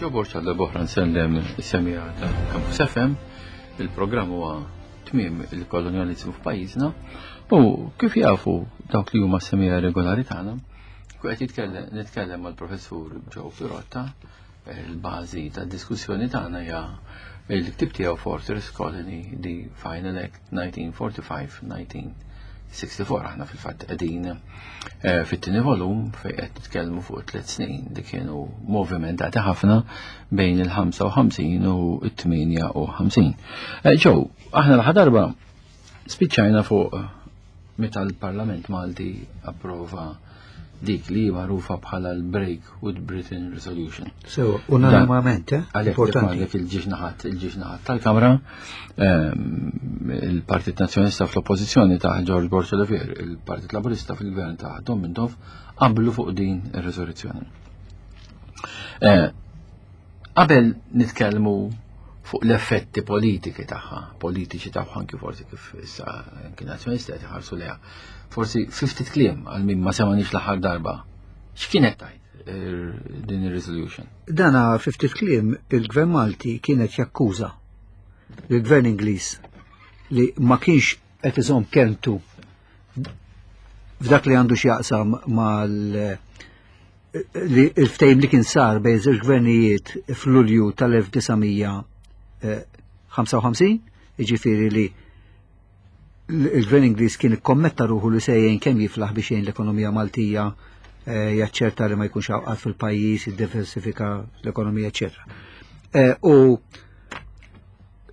Joe Borg għal boħra nsellem is-semija ta' Campus FM. Il-programm huwa tmiem il-kolonjalizmu f'pajjiżna u kif jafu dawk li huma semija regolari tagħna, qed jitkellem nitkellem mal-professur Joe Pirotta, il-bażi tad-diskussjoni tagħna hija il-ktib tiegħu Fortress Colony The Final Act 1945-1964 aħna fil-fatt qegħdin eh, fit-tieni volum fejn qed nitkellmu fuq tliet snin li kienu movimentati ħafna bejn il-55 u t-58. Eh, Ġew, aħna l darba spiċċajna fuq meta l-Parlament Malti approva dik li magħrufa bħala l-Break with Britain Resolution. So, unanimament, eh? Importanti. Għalhekk il-ġiex naħat, il-ġiex naħat tal-Kamra, ehm, il-Partit Nazzjonalista fl-Oppożizzjoni ta' George Borg Olivier, il-Partit Laburista fil-Gvern ta' Dom Mintoff, qablu fuq din ir-riżoluzzjoni. Eh, qabel nitkellmu fuq l-effetti politiki tagħha, politiċi tagħha anki forsi kif issa anki nazzjonalisti qed iħarsu leha. Forsi ftit kliem għal min ma semanix l-aħħar darba. X'kienet tajt eh, din ir-resolution? Dana ftit kliem il-Gvern Malti kienet jakkuża lill-Gvern Ingliż li ma kienx qed iżomm kelmtu f'dak li għandu x'jaqsam mal li il-ftehim li kien sar bejn żewġ gvernijiet f'Lulju tal-1955, jiġifieri li il-gvern Ingliż kien ikkommetta ruħu li se jgħin kemm jiflaħ biex jgħin l-ekonomija Maltija eh, jaċċerta li ma jkunx għawqat fil-pajjiż, jiddiversifika l-ekonomija, eċetera. Eh, u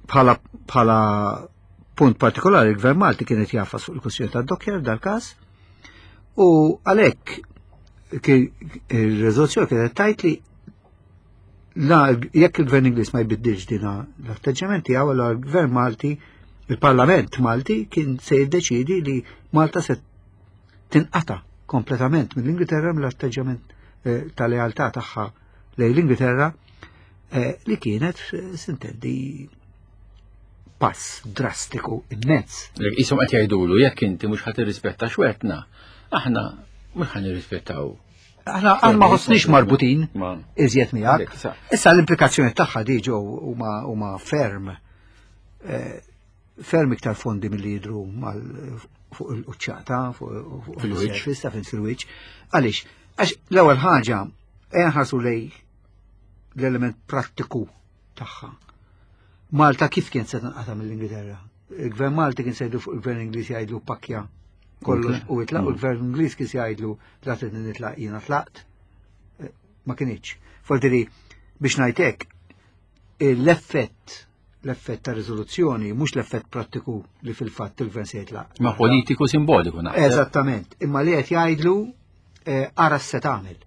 bħala bħala punt partikolari il-gvern Malti kienet jafas fuq il-kwestjoni tad-dokkjar dal-każ u għalhekk il-rezoluzzjoni kienet tajt li la jekk il-gvern Ingliż ma jbiddilx dina l-atteġġament tiegħu allura l-gvern Malti, il-Parlament Malti kien se jiddeċidi li Malta se tinqata kompletament mill-Ingilterra mill-atteġġament eh, ta' lealtà tagħha lejn l-Ingilterra eh, li kienet eh, sintendi pass drastiku immens. Isom qed jgħidulu jekk inti mhux ħadd irrispetta xwetna, aħna mhux ħan nirrispettaw. Aħna aħna ma ħossniex marbutin iżjed miegħek. Issa l-implikazzjoni tagħha di ġew huma ferm eh, ferm iktar fondi milli jidhru fuq il-quċċata, fuq il-wiċċ, fil-wiċċ. Għaliex, għax l-ewwel ħaġa ħarsu lej l-element prattiku tagħha. Malta kif kien se tinqata' mill-Ingilterra? Il-Gvern Malti kien se jgħidu fuq il-Gvern Ingliż jgħidlu pakja kollox u itlaq u l-Gvern Ingliż kien se jgħidlu la trid nitlaq jiena tlaqt. Eh, ma kienx. Forsi biex ngħidlek l-effett l-effett ta' riżoluzzjoni mhux l-effett prattiku li fil-fatt il-gvern se jitlaq. Ma politiku simboliku naħseb. Eżattament, imma li qed jgħidlu eh, ara se tagħmel.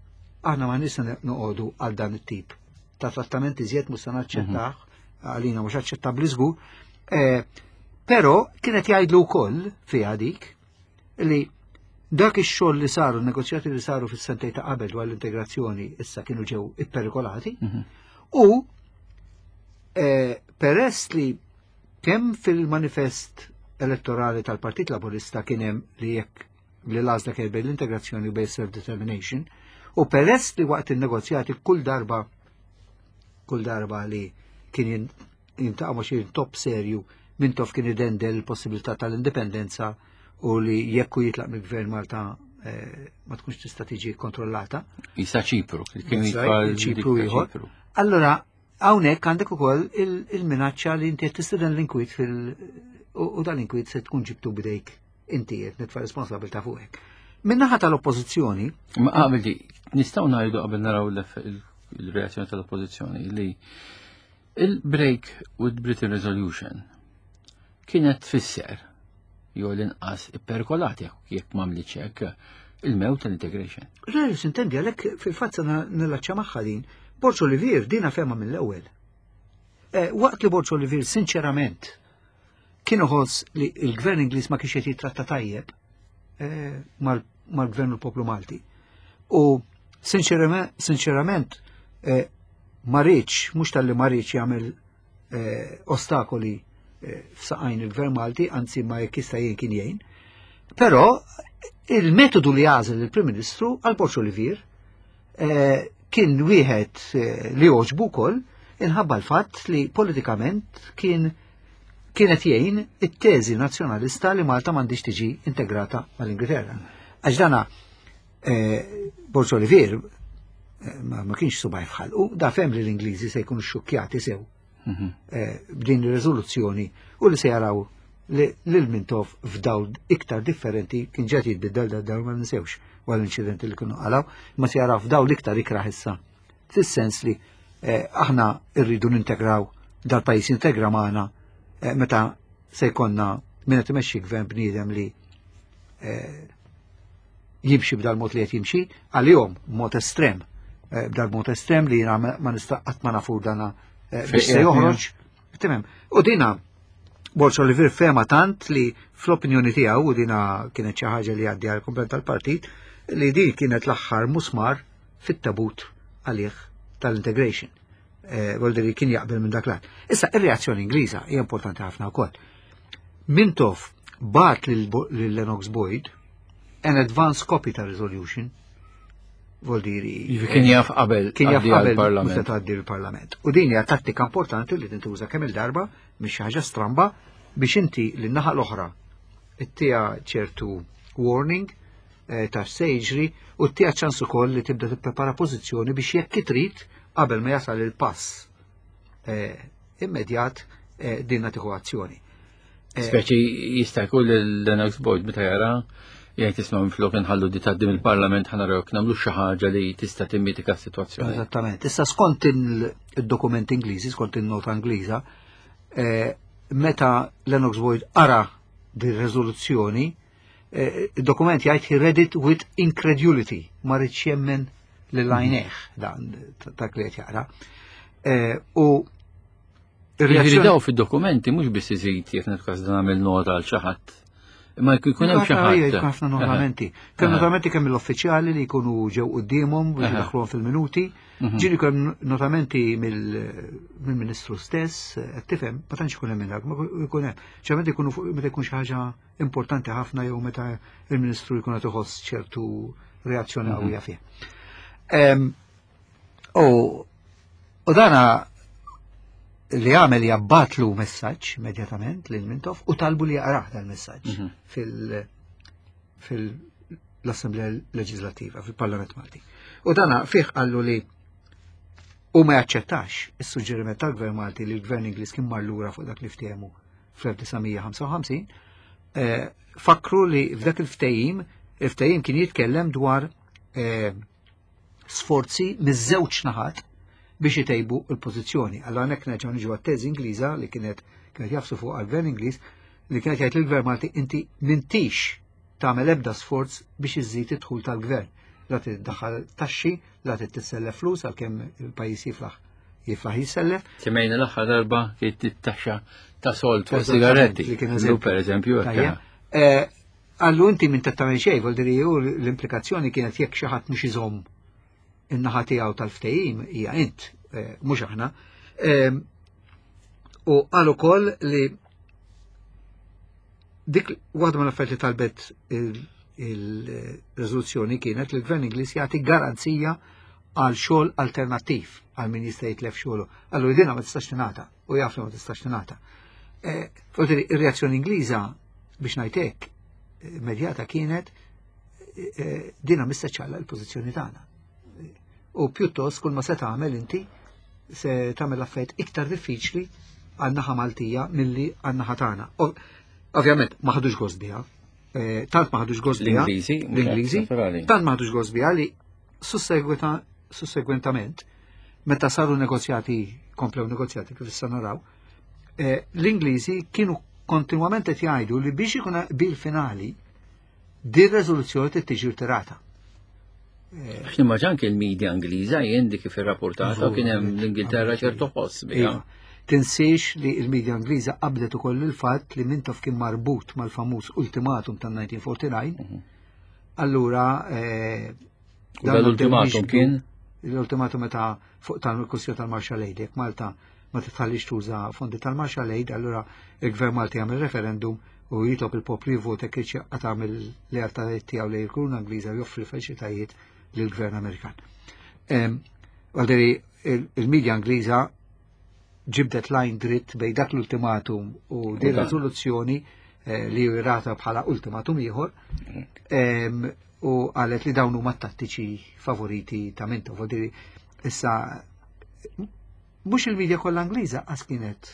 Aħna ma nista noqogħdu għal dan it-tip ta' trattament iżjed mhux se naċċettah, mhm. għalina mhux aċċettabbli żgur. Eh, però kienet jgħidlu wkoll fiha dik li dak ix-xogħol li saru, negozjati li saru fis-sentej ta' qabel dwar l-integrazzjoni issa kienu ġew ipperikolati mhm. u eh, peress li kemm fil-manifest elettorali tal-Partit Laburista kien hemm li jekk li l-għażla kien bejn l-integrazzjoni u bejn self-determination, u peress li waqt il-negozjati kull darba kull darba li kien jintaqa' ma' xi top serju Mintoff kien idendel il-possibilità tal-indipendenza u li jekk hu jitlaq mill-gvern Malta eh, ma tkunx tista' tiġi kontrollata. Isa Ċipru, kien Ċipru ieħor. Allora, hawnhekk għandek ukoll il-minaċċa li inti qed tistieden l-inkwiet fil u dan l-inkwiet se tkun ġibtu bidejk inti qed nitfa' responsabilità fuqek. Min-naħa tal-oppożizzjoni. Ma qabel di, nistgħu ngħidu qabel naraw il-reazzjoni tal-oppożizzjoni li il-break with Britain Resolution kienet tfisser jew l-inqas ipperkolati jekk m'għamlitx hekk il-mewt tal-integration. Le, sintendi għalhekk fil-fatt se nillaċċa magħha din. Borġ Olivier dina fema mill-ewwel. Eh, waqt li Borġ Olivier sinċerament Kien iħoss li l-gvern Ingliż ma kienx qed jitratta tajjeb eh, mal-gvern u l-poplu Malti. U sinċerament eh, ma rridx, mhux talli ma rridx jagħmel eh, ostakoli f'saqajn il-gvern Malti, anzi ma jekk jista' jgħin kien jgħin. Però il-metodu li għażel il-Prim Ministru għal Borġ Olivier. Kien wieħed eh, li għoġbu wkoll inħabba l-fatt li politikament kien kienet jgħin it-teżi nazzjonalista li Malta m'għandix tiġi integrata mal-Ingilterra. Għax dana eh, Borġ Olivier eh, ma kienx subaj fħalqu, da fem li l-Ingliżi se jkunu xukjati sew mhm. eh, b'din ir-riżoluzzjoni u li se jaraw li l-Mintoff f'dawl iktar differenti kien ġed jitbiddel da dawl ma ninsewx wara l-inċidenti li kienu qalaw, ma se jaraw f'dawl iktar ikraħ issa. Fis-sens li eh, aħna rridu nintegraw dal-pajjiż integra magħna eh, meta se jkollna min qed imexxi gvern bniedem li eh, jimxi b'dal-mod li qed jimxi, għalihom mod estrem, b'dal-mod estrem li jiena ma nista' qatt ma nafu dana biex se joħroġ. Timem. U dina Borġ Olivier fema tant li fl-opinjoni tiegħu u dina kienet xi ħaġa li għaddi għal komplet tal-partit li din kienet l-aħħar musmar fit-tabut għalih tal-integration. Eh, Volder kien jaqbel minn dak l Issa, ir-reazzjoni Ingliża hija importanti ħafna wkoll. Mintoff bat lil Lennox Boyd an advance copy ta' resolution Voldiri. Jiġifieri kien jaf qabel. Kien jaf qabel parlament. tgħaddi l-parlament. U din hija tattika importanti li tintuża kemm il-darba mhix xi ħaġa stramba biex inti lin-naħa l-oħra ittija ċertu warning eh, ta' se jiġri u ttija ċans ukoll li tibda tipprepara pożizzjoni biex jekk trid qabel ma jasal il-pass eh, immedjat eh, dinna tieħu azzjoni. Speċi jista' jkun l-Lennox Boyd meta jara jgħid isma' minflok inħallu di tgħaddi mill-Parlament ħa naraw nagħmlu xi ħaġa li tista' timmitika s-sitwazzjoni. Eżattament. Issa skont il-dokument Ingliżi, skont in-nota Ingliża, meta Lennox Boyd qara di riżoluzzjoni, eh, il-dokument jgħid he read it with incredulity, ma rridx jemmen lil għajnejh dan dak li qed jaqra. Eh, u Jiġifieri daw fid-dokumenti mhux biss iżid jekk nitkas dan nagħmel nota għal xi ħadd. Imma jkun hemm xi ħadd. Ħafna notamenti. Kemm notamenti kemm l-uffiċjali li jkunu ġew quddiemhom biex jdaħħluhom fil-minuti. Mhm. Ġieli kemm notamenti mill-Ministru stess, qed tifhem, ma tantx ikun hemm minn dak, ma jkun hemm. Ċertament ikunu meta jkun xi ħaġa importanti ħafna jew meta il-Ministru jkun qed iħoss ċertu reazzjoni mhm. qawwija fih. U dana li għamel jabbatlu messaġġ immedjatament lil Mintoff u talbu li jaqrah dal-messaġġ mhm. fil- fil-Assemblea Leġislativa, fil-Parlament Malti. U dana fih qallu li u ma jaċċettax is-suġġeriment tal-Gvern Malti li l-Gvern Ingliż kien mar lura fuq dak li ftehmu fl-1955, eh, fakru li f'dak il-ftehim, il-ftehim kien jitkellem dwar eh, sforzi miż-żewġ naħat biex itejbu l-pożizzjoni. Allora hekk nerġgħu niġu għat-teżi Ingliża li kienet kienet jafsu fuq għall-Gvern Ingliż li kienet jgħid lill-Gvern Malti inti m'intix tagħmel ebda sforz biex iżżid id-dħul tal-gvern. La tiddaħħal taxxi, la tissellef flus għalkemm il-pajjiż jiflaħ jiflaħ jissellef. Semmejna l-aħħar darba kien it-taxxa ta' sold fuq sigaretti. Per eżempju. Eh, Għallu inti minn tagħmel xejn, vol diri u l-implikazzjoni kienet jekk xi ħadd mhux iżomm in-naħa tiegħu tal-ftehim hija int, eh, mhux aħna. Ehm, u qal ukoll li dik waħda mill-affarijiet li talbet il-riżoluzzjoni kienet li l-Gvern Ingliż jagħti garanzija għal xogħol alternattiv għal min jista' jitlef xogħlu. Allura dina ma tistax tingħata u jaf li ma tistax tingħata. Eh, ir-reazzjoni Ingliża biex ngħid hekk immedjata kienet eh, dina mista ċalla l-pożizzjoni tagħna. U pjuttost kull ma se tagħmel inti se tagħmel affarijiet iktar diffiċli għan-naħa Maltija milli għan-naħa tagħna. Ovvjament ma ħadux gost biha. Eh, tant ma ħadux gost biha. L-Ingliżi, l-Ingliżi, tant ma ħadux gost biha li sussegwentament meta saru negozjati, komplew negozjati kif issa naraw, eh, l-Ingliżi kienu kontinwament qed jgħidu li biex ikun bil finali din reżoluzzjoni trid tiġi rtirata. Eh, Għax nimmaġan anke l-medja Ingliża jien dik kif irrapportata kien hemm l-Ingilterra ċertu ħoss biha. Iva. Tinsiex li l-medja Ingliża qabdet ukoll il-fatt li Mintoff kien marbut mal-famuż ultimatum tan-1949. Mhm. Allura eh, l-ultimatum kien? L-ultimatum meta fuq tal-kwestjoni tal-Marshall Aid, jekk Malta ma titħallix tuża fondi tal-Marshall Aid, allura il-Gvern Malti jagħmel referendum u jitlob il-poplu jivvota jekk irid jaqta' mill-lealtajiet tiegħu lejn il-Kuruna Ingliża u joffri faċilitajiet lill-Gvern Amerikan. Għalderi il-medja Ingliża ġibdet line dritt bej dak l-ultimatum u din riżoluzzjoni eh, li rata bħala ultimatum ieħor u qalet li dawn huma tattiċi favoriti ta' Mintoff. Vuol issa mhux il-medja kollha Ingliża qas kienet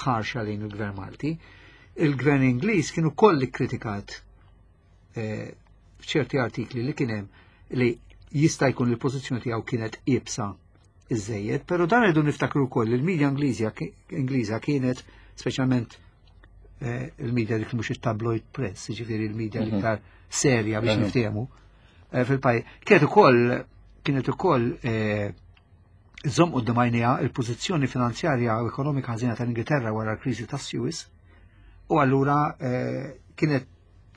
ħarxa lejn il-Gvern Malti. Il-Gvern Ingliż kienu koll kritikat eh, f'ċerti artikli li kien hemm li jista' jkun il-pożizzjoni tiegħu kienet iebsa iżejjed, però dan irridu niftakru wkoll il-medja Ingliża kienet speċjalment eh, il-medja dik mhux it-tabloid press, jiġifieri il-medja mhm. l-iktar serja biex mhm. niftehmu eh, fil-pajjiż. Kienet ukoll kienet ukoll eh, żomm quddiem għajnejha il-pożizzjoni finanzjarja u ekonomika ħażina tal-Ingilterra wara l-kriżi tas-Suez u allura kienet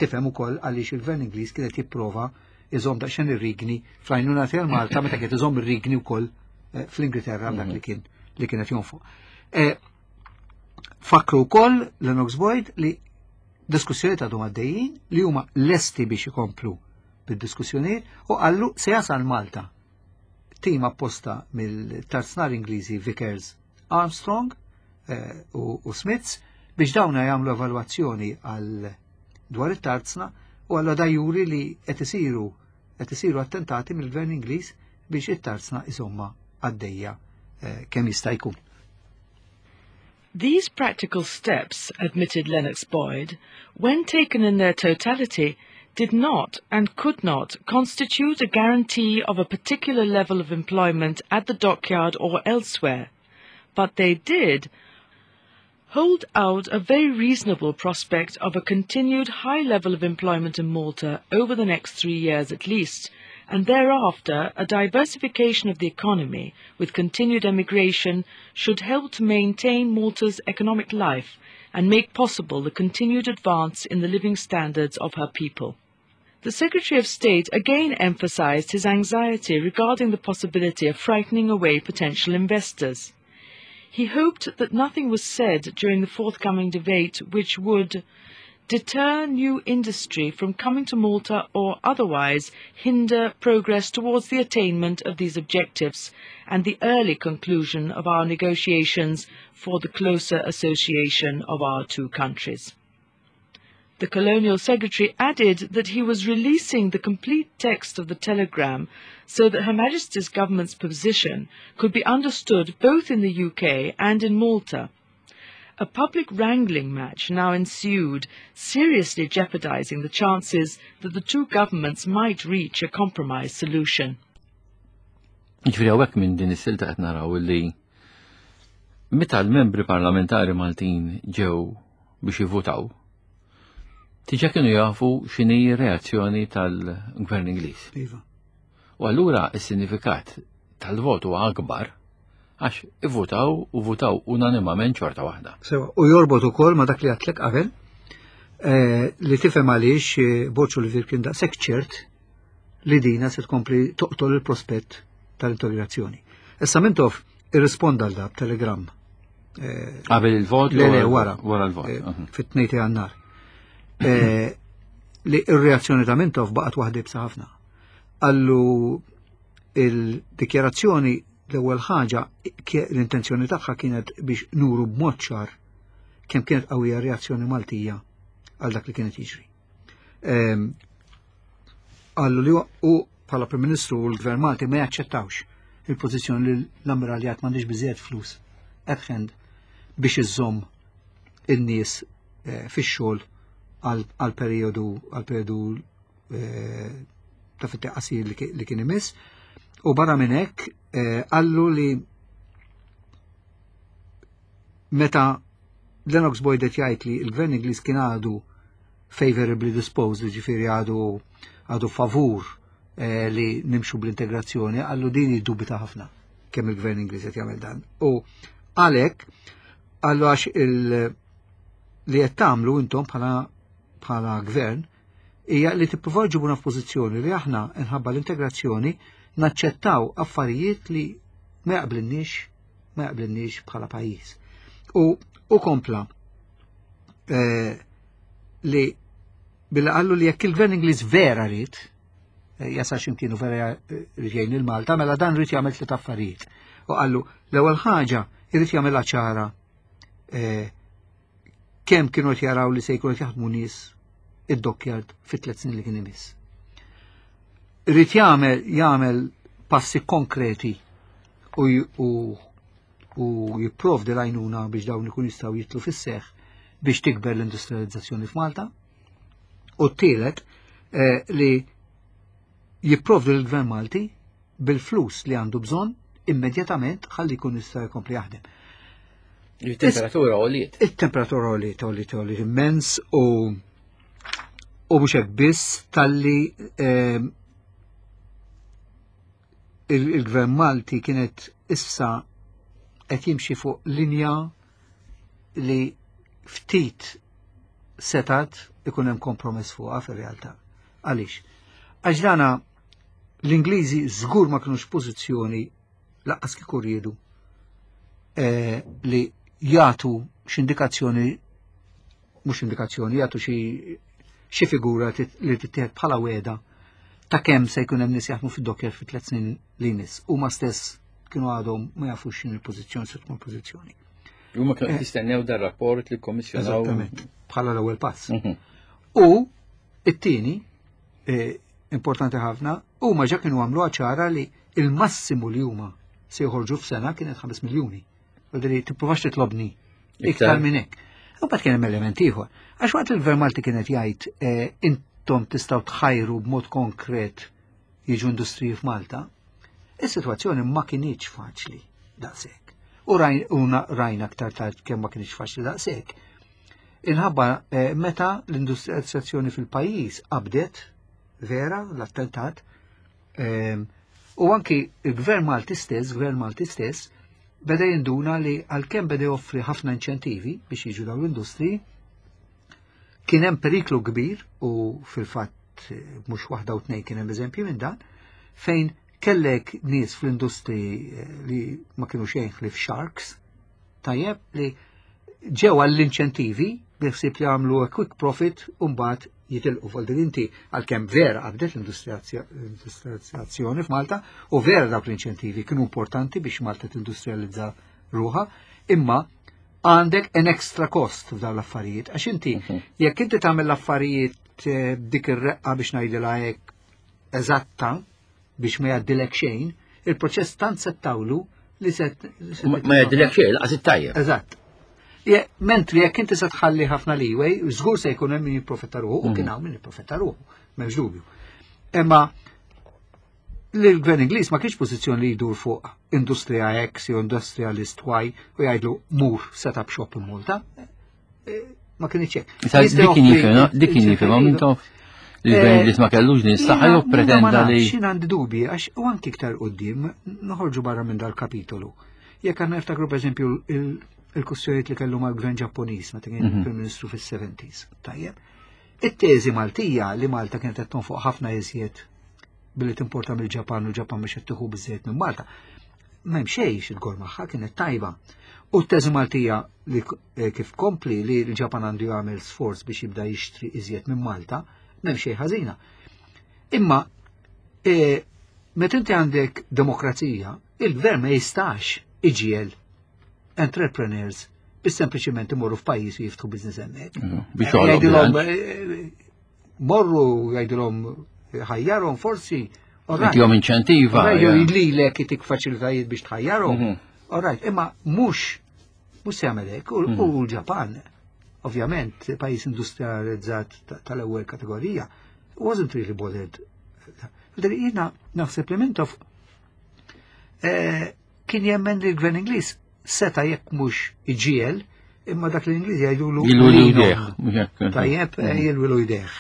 Tifhem ukoll għaliex il-Gvern Ingliż kien qed jipprova iżomm daqsxejn ir-rigni fl-għajnuna tiegħu Malta meta kien iżomm ir-rigni wkoll eh, fl-Ingilterra dak li kien li kienet jonfoq. Eh, fakru wkoll Lennox Boyd li diskussjoni ta' għaddejjin li huma lesti biex ikomplu bid-diskussjonijiet u qallu se jasal Malta tim apposta mill-tarznar Ingliżi Vickers Armstrong eh, u Smiths biex dawna jagħmlu evalwazzjoni għal dwar it-tarzna u għalla da juri li qed isiru qed isiru attentati mill-Gvern Ingliż biex it-tarzna iżomma għaddejja eh, kemm jista' jkun. These practical steps, admitted Lennox Boyd, when taken in their totality, did not and could not constitute a guarantee of a particular level of employment at the dockyard or elsewhere, but they did hold out a very reasonable prospect of a continued high level of employment in Malta over the next three years at least, and thereafter a diversification of the economy with continued emigration should help to maintain Malta's economic life and make possible the continued advance in the living standards of her people. The Secretary of State again emphasized his anxiety regarding the possibility of frightening away potential investors. He hoped that nothing was said during the forthcoming debate which would deter new industry from coming to Malta or otherwise hinder progress towards the attainment of these objectives and the early conclusion of our negotiations for the closer association of our two countries. The Colonial Secretary added that he was releasing the complete text of the telegram so that Her Majesty's government's position could be understood both in the UK and in Malta. A public wrangling match now ensued, seriously jeopardizing the chances that the two governments might reach a compromise solution. Ġifieri hawnhekk minn din is-silta qed naraw li meta l-membri parlamentari Maltin ġew biex jivvutaw, diġà kienu jafu x'inhi reazzjoni tal-Gvern Ingliż. Iva. U allura s-sinifikat tal-vot huwa akbar għax ivvutaw u votaw unanimament xorta waħda. Sewa, u jorbot ukoll ma dak li għatlek qabel eh, li tifhem għaliex eh, Borg Olivier kien daqshekk ċert li dina se tkompli toqtol il-prospett tal-integrazzjoni. Issa Mintoff irrisponda għal da b'telegram. Eh, qabel il-vot? Le, le, wara. Wara l-vot. Eh, fit-tnejn ta' jannar. Eh, li ir-reazzjoni ta' Mintoff baqgħet waħda ibsa ħafna. Allu il-dikjarazzjoni l-ewwel ħaġa l-intenzjoni tagħha kienet biex nuru b'mod ċar kemm kienet qawwija reazzjoni Maltija għal dak li kienet jiġri. Ehm, Qallu li u bħala Prim Ministru u l-Gvern Malti ma jaċċettawx il-pożizzjoni li l-ammiraljat m'għandix biżejjed flus at hand biex iżżomm in-nies eh, fix-xogħol għal periodu għal periodu eh, ta' fit qasir li kien imiss. U barra minn hekk eh, qallu li meta Lennox Boyd qed jgħid li l-Gvern Ingliż kien għadu favorably disposed, ġifieri għadu għadu favur eh, li nimxu bl-integrazzjoni, għallu din jiddubita ħafna kemm il-gvern Ingliż qed jagħmel dan. U għalhekk għallu għax il li qed tagħmlu intom bħala bħala gvern hija li tippruvaw ġibuna f'pożizzjoni li aħna nħabba l-integrazzjoni naċċettaw affarijiet li ma jaqblinniex ma jaqblinniex bħala pajjiż. U u kompla eh, li billi qallu li jekk il-gvern Ingliż vera rrid jasal x'imkien u vera irid jgħin lil Malta, mela dan irid jagħmel tliet affarijiet. U qallu l-ewwel ħaġa irid jagħmilha ċara kemm kienu qed jaraw li se jkunu qed jaħdmu nies id-dockyard fit-tliet snin li kien imiss. Irid jagħmel jagħmel passi konkreti u, u, u jipprovdi l-għajnuna biex dawn ikun jistgħu jitlu fis-seħħ biex tikber l-industrializzazzjoni f'Malta. U t-tielet li jipprovdi l-Gvern Malti bil-flus li għandu bżonn immedjatament ħalli jkun jista' jkompli jaħdem. Il-temperatura għoliet. Il-temperatura għoliet, għoliet, għoliet immens u u mhux hekk biss talli il-Gvern Malti kienet issa qed jimxi fuq linja li ftit setat ikun hemm kompromess fuqha fir-realtà. Għaliex? Għax dana l-Ingliżi żgur ma kinux pożizzjoni laqqas kieku riedu li jagħtu x'indikazzjoni mhux indikazzjoni, jagħtu xi figura li tittieħed bħala weda ta' kemm se jkun hemm nies jaħdmu fid-docker fi tliet snin li jmiss. Huma stess kienu għadhom ma jafux x'in il-pożizzjoni se tkun pożizzjoni. Huma kienu qed jistennew dar rapport li kkommissjonaw. Eżattament, bħala l-ewwel pass. U it-tieni, importanti ħafna, huma ġa kienu għamlu ċara li il-massimu li huma se joħorġu f'sena kienet 5 miljuni. Vuol tipprovax titlobni iktar minn hekk. U mbagħad kien hemm element ieħor. Għax waqt il-Gvern Malti kienet jgħid intom tistgħu tħajru b'mod konkret jiġu industriji f'Malta, is-sitwazzjoni ma kinitx faċli daqshekk. U rajna aktar tard kemm ma kinitx faċli daqshekk. Inħabba meta l-industrializzazzjoni fil-pajjiż qabdet vera l-attentat, u anki il-Gvern Malti stess, Gvern Malti stess, beda jinduna li għalkemm beda joffri ħafna inċentivi biex jiġu dawn l-industriji, kien hemm periklu kbir u fil-fatt mhux waħda u tnejn kien hemm eżempji minn dan, fejn kellek nies fl-industri li ma kienu xejn ħlief sharks, tajjeb li ġew għall-inċentivi biħsib li għamlu a quick profit u mbagħad jitilqu. Vuol dire inti għalkemm vera qabdet l-industrializzazzjoni f'Malta u vera dawk l-inċentivi kienu importanti biex Malta tindustrializza ruħha, imma għandek an extra cost f'dawn l-affarijiet. Għax inti, jekk inti tagħmel l-affarijiet b'dik ir-reqqa biex ngħidilha hekk eżatta biex ma jgħaddilek xejn, il-proċess tant se tawlu li se Ma jgħaddilek xejn, laqas it-tajjeb. Eżatt. Mentri jekk inti se tħalli ħafna leeway, żgur se jkun hemm min jipprofitta ruħu, u kien hawn min jipprofitta ruħu, m'hemmx dubju. Imma l-Gvern Ingliż ma kienx pożizzjoni li jdur fuq industrija X jew industrialist Y u jgħidlu mur set up shop in Malta. Ma kienx hekk. Issa, Jista' dik kien joffri jifhem, dik kien jifhem, inċentivi. Mintoff li l-Gvern Ingliż ma kellux din is-saħħa jew pretenda li X'in għandi dubi għax u anki iktar quddiem noħorġu barra minn dal-kapitolu. Jekk għandna niftakru pereżempju il-kwistjonijiet li kellu mal-Gvern Ġappuniż meta kien Prim Ministru fis-70s. Tajjeb. It-teżi Maltija li Malta kienet qed tonfoq ħafna iżjed billi timporta mill-Ġapan u l-Ġapan biex qed tieħu biżejjed minn Malta. M'hemm xejn xi magħha kienet tajba. U t-teżi Maltija li kif kompli li l-Ġapan għandu jagħmel sforz biex jibda jixtri iżjed minn Malta, m'hemm xejn ħażina. Imma meta inti għandek demokrazija, il-gvern ma jistax iġiel entrepreneurs biex sempliċiment imorru f'pajjiż u jiftħu business hemmhekk. Biex joħloq Jgħidilhom, bilanċ. morru jgħidilhom ħajjarhom forsi. All right. Jtihom inċentiva, All right, jew ja. jidlilek itik faċilitajiet biex tħajjarhom. All right, imma mhux se jagħmel hekk. U l-Ġapan, ovvjament, pajjiż industrializzat tal-ewwel kategorija, wasn't really bothered. Jiena naħseb li Mintoff kien jemmen li l-Gvern Ingliż seta' jekk mhux iġiel, imma dak l-Ingliż jgħidulu Jilwilu lilhom. jdejh, mhux hekk. Tajjeb, jilwilu jdejh.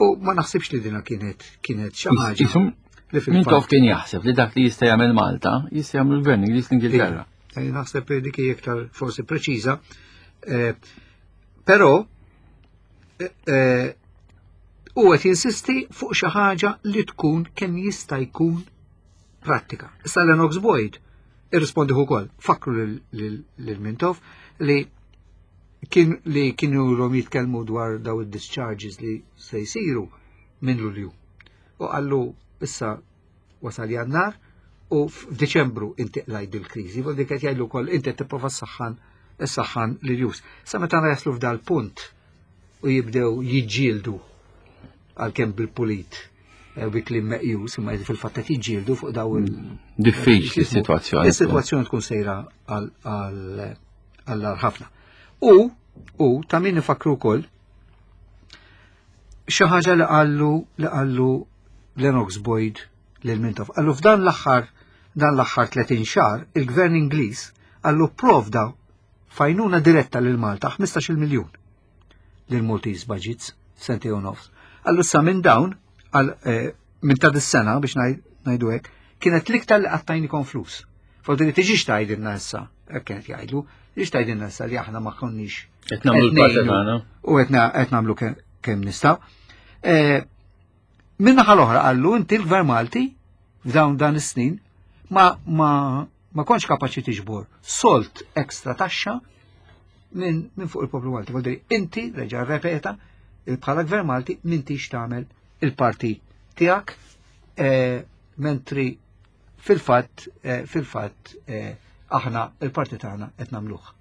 U ma naħsibx li dina kienet xi ħaġa li fil-fatt Mintoff kien jaħseb li dak li jista' jagħmel Malta, jista' jagħmel l-Gvern Ingliż l-Ingilterra. Naħseb li dik hija iktar forsi preċiża. Però u qed jinsisti fuq xi ħaġa li tkun kemm jista' jkun prattika. Issa Lennox Boyd irrispondi ukoll, fakru lil Mintoff li kienu ilhom jitkellmu dwar daw id-discharges li se jsiru minn Lulju. U qallu issa wasal Jannar u f'Diċembru inti qlajt dil-kriżi, vol dik qed jgħidlu wkoll inti qed tipprova ssaħħan issaħħan lil jus. Sa meta jaslu f'dal punt u jibdew jiġġieldu għalkemm bil-pulit eh, bi kliem meqjus, imma fil-fatt qed jiġġieldu fuq daw il- Diffiċli s-sitwazzjoni. Is-sitwazzjoni tkun sejra għal ħafna. U u ta' min nifakru wkoll xi ħaġa li qallu li qallu Lennox Boyd lil Mintoff. Qallu f'dan l-aħħar dan l-aħħar 30 xahar il-Gvern Ingliż qallu provda f'għajnuna diretta lil Malta 15 miljun lil Maltese Budgets sentejn u nofs. Qallu sa minn dawn għal eh, minn ta' dis-sena biex ngħidu hekk kienet l-iktar li qattajnikom flus. Fodri tiġix tgħidilna issa, hekk kienet jgħidlu, tiġix tgħidilna issa li aħna ma konniex Qed nagħmlu l-parti tagħna. U qed nagħmlu kemm nistgħu. Eh, Min-naħa l-oħra qallu inti l-Gvern Malti f'dawn dan is-snin ma ma ma kontx kapaċi tiġbor solt ekstra taxxa minn min fuq il-poplu Malti. Vuol dire, inti reġa' repeta bħala Gvern Malti m'intix tagħmel il-parti tiegħek eh, mentri fil-fatt eh, fil-fatt eh, aħna il-parti tagħna qed nagħmluh.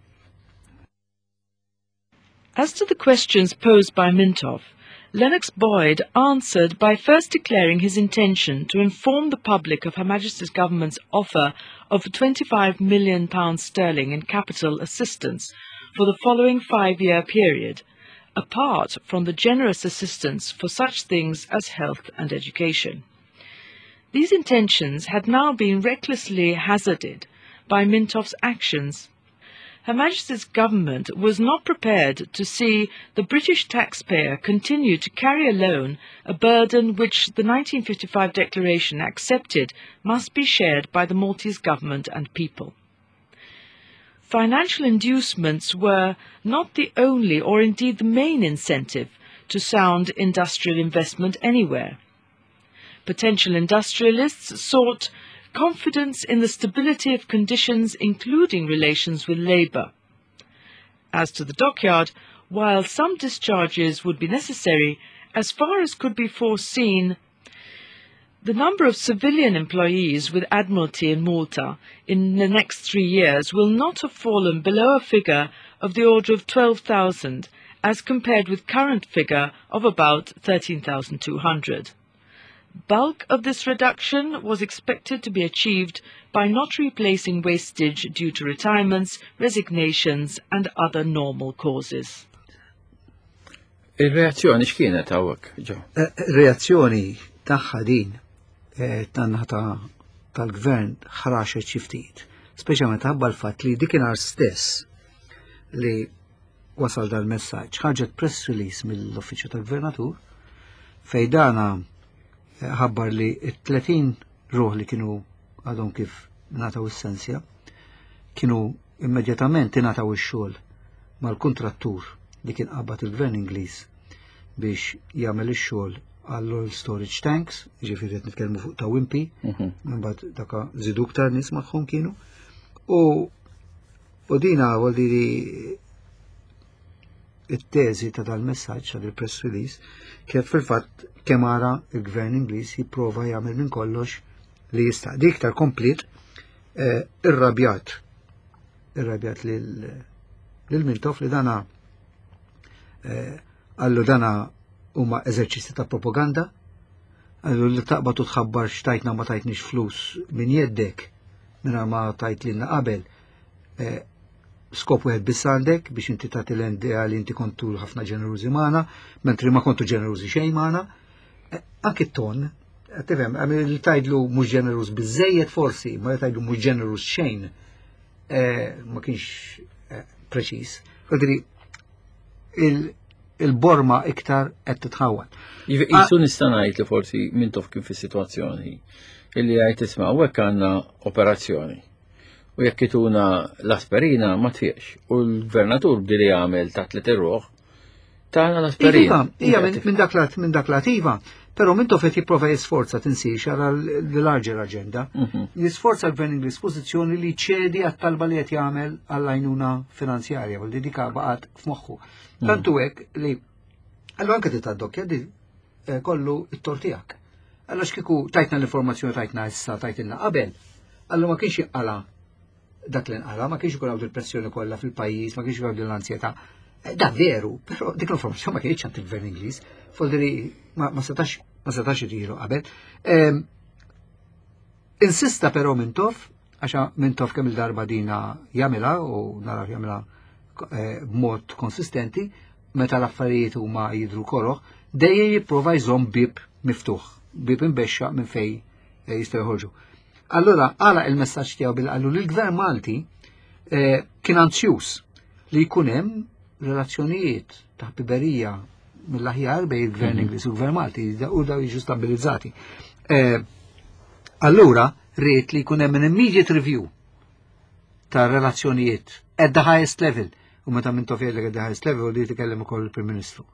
As to the questions posed by Mintoff, Lennox Boyd answered by first declaring his intention to inform the public of Her Majesty's government's offer of £25 million sterling in capital assistance for the following 5-year period, apart from the generous assistance for such things as health and education. These intentions had now been recklessly hazarded by Mintoff's actions. Her Majesty's government was not prepared to see the British taxpayer continue to carry alone a burden which the 1955 Declaration accepted must be shared by the Maltese government and people. Financial inducements were not the only or indeed the main incentive to sound industrial investment anywhere. Potential industrialists sought confidence in the stability of conditions, including relations with labour. As to the dockyard, while some discharges would be necessary, as far as could be foreseen, the number of civilian employees with Admiralty in Malta in the next 3 years will not have fallen below a figure of the order of 12,000 as compared with current figure of about 13,200. Bulk of this reduction was expected to be achieved by not replacing wastage due to retirements, resignations and other normal causes. Il-reazzjoni x'kienet hawnhekk, ġo? Eh, reazzjoni tagħha din eh, tan-naħa tal-gvern ħraxet xi ftit. Speċjalment ħabba l-fatt li dikinhar stess li wasal dal-messaġġ ħarġet press release mill-Uffiċċju tal-Gvernatur fej dana eh, ħabbar li t-30 ruħ li kienu għadhom kif ngħataw is-sensja kienu immedjatament ingħataw ix-xogħol mal-kuntrattur li kien qabad il-Gvern Ingliż biex jagħmel ix-xogħol għall-oil storage tanks, ġifieri qed nitkellmu fuq ta' Wimpy, imbagħad daka żidu iktar nies magħhom kienu. U u dina vuol dire it-teżi ta' dal-messaġġ ta' il-press release kif fil-fatt kemm ara il-Gvern Ingliż jipprova jagħmel minn kollox li jista'. Dik iktar komplet eh, irrabjat irrabjat lil Mintoff li dana eh, qallu dana huma eżerċizzi ta' propaganda, qallu li taqbad u tħabbar xtajtna ma tajtniex flus minn jeddek minn ma tajt lilna qabel. Eh, skop wieħed biss għandek biex inti tagħti l-idea li inti kontu ħafna ġenerużi magħna, mentri ma kontu ġenerużi xejn magħna. Eh, anki t-ton, tifhem, li tgħidlu mhux ġeneruż biżejjed forsi, ma li tgħidlu mhux ġeneruż xejn, eh, ma kienx preċiż. Vuol il-borma iktar qed titħawwad. Jisu nista' ngħid li forsi Mintoff kien fis-sitwazzjoni illi għajt isma' hawnhekk għandna operazzjoni. U jekk ituna l-aspirina ma tfiex. U l-gvernatur bdi li jagħmel ta' tliet irruħ tagħna l-aspirina. Iva, ija minn dak lat minn dak lat iva, però Mintoff qed jipprova jisforza tinsiex għal l-larger agenda. Jisforza l-Gvern Ingliż pożizzjoni li ċedi għat-talba li qed jagħmel għall-għajnuna finanzjarja, u li dika baqgħet f'moħħu. Tantu hekk li Allora anke titgħaddok di eh, kollu it-tort tiegħek. Allura x'kieku tajtna l-informazzjoni tajtna issa tajtilna qabel, allura ma kienx jinqala dak li nqala, ma kienx ikun hawn il-pressjoni kollha fil-pajjiż, ma kienx ikun hawn l-ansjetà. Eh, da veru, però dik l-informazzjoni ma kienx għand il-gvern Ingliż, foldri ma setax ma setax irilu qabel. Ehm, insista però Mintoff, għaxa Mintoff kemm il-darba dina jagħmilha u naraw jagħmilha eh, b'mod konsistenti, meta l-affarijiet huma jidru koroħ, dejjem jipprova jżomm bib miftuħ, bib imbexxa minn fej eh, jistgħu joħorġu. Allura għala il-messaġġ tiegħu bil qallu li l-gvern Malti eh, kien anzjuż li jkun hemm relazzjonijiet ta' ħbiberija mill-aħjar bejn il-gvern mhm. Ingliż u l-gvern Malti u daw jiġu stabilizzati. Eh, allura rrid li jkun hemm an immediate review ta' relazzjonijiet at the highest level u meta minn tofjellek at the highest level u li tikellem ukoll il-Prim Ministru.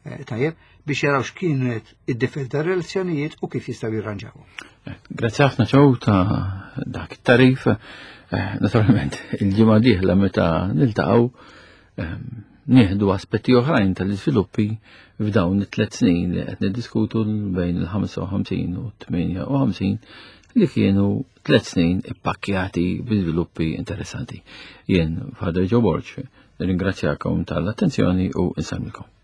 Eh, tajjeb, biex jaraw x'kienet id-difett ta' relazzjonijiet u kif jistgħu jirranġaw. Eh, grazzi ħafna ċew ta' dak it-tarif. Eh, naturalment, il-ġimgħa dieħla meta niltaqgħu ehm, nieħdu aspetti oħrajn tal-iżviluppi f'dawn it-tliet snin li qed niddiskutu bejn il-55 u 58 li kienu tliet snin ippakkjati bi żviluppi interessanti. Jien Father Joe Borg, nirringrazzjakom tal-attenzjoni u nsalmilkom.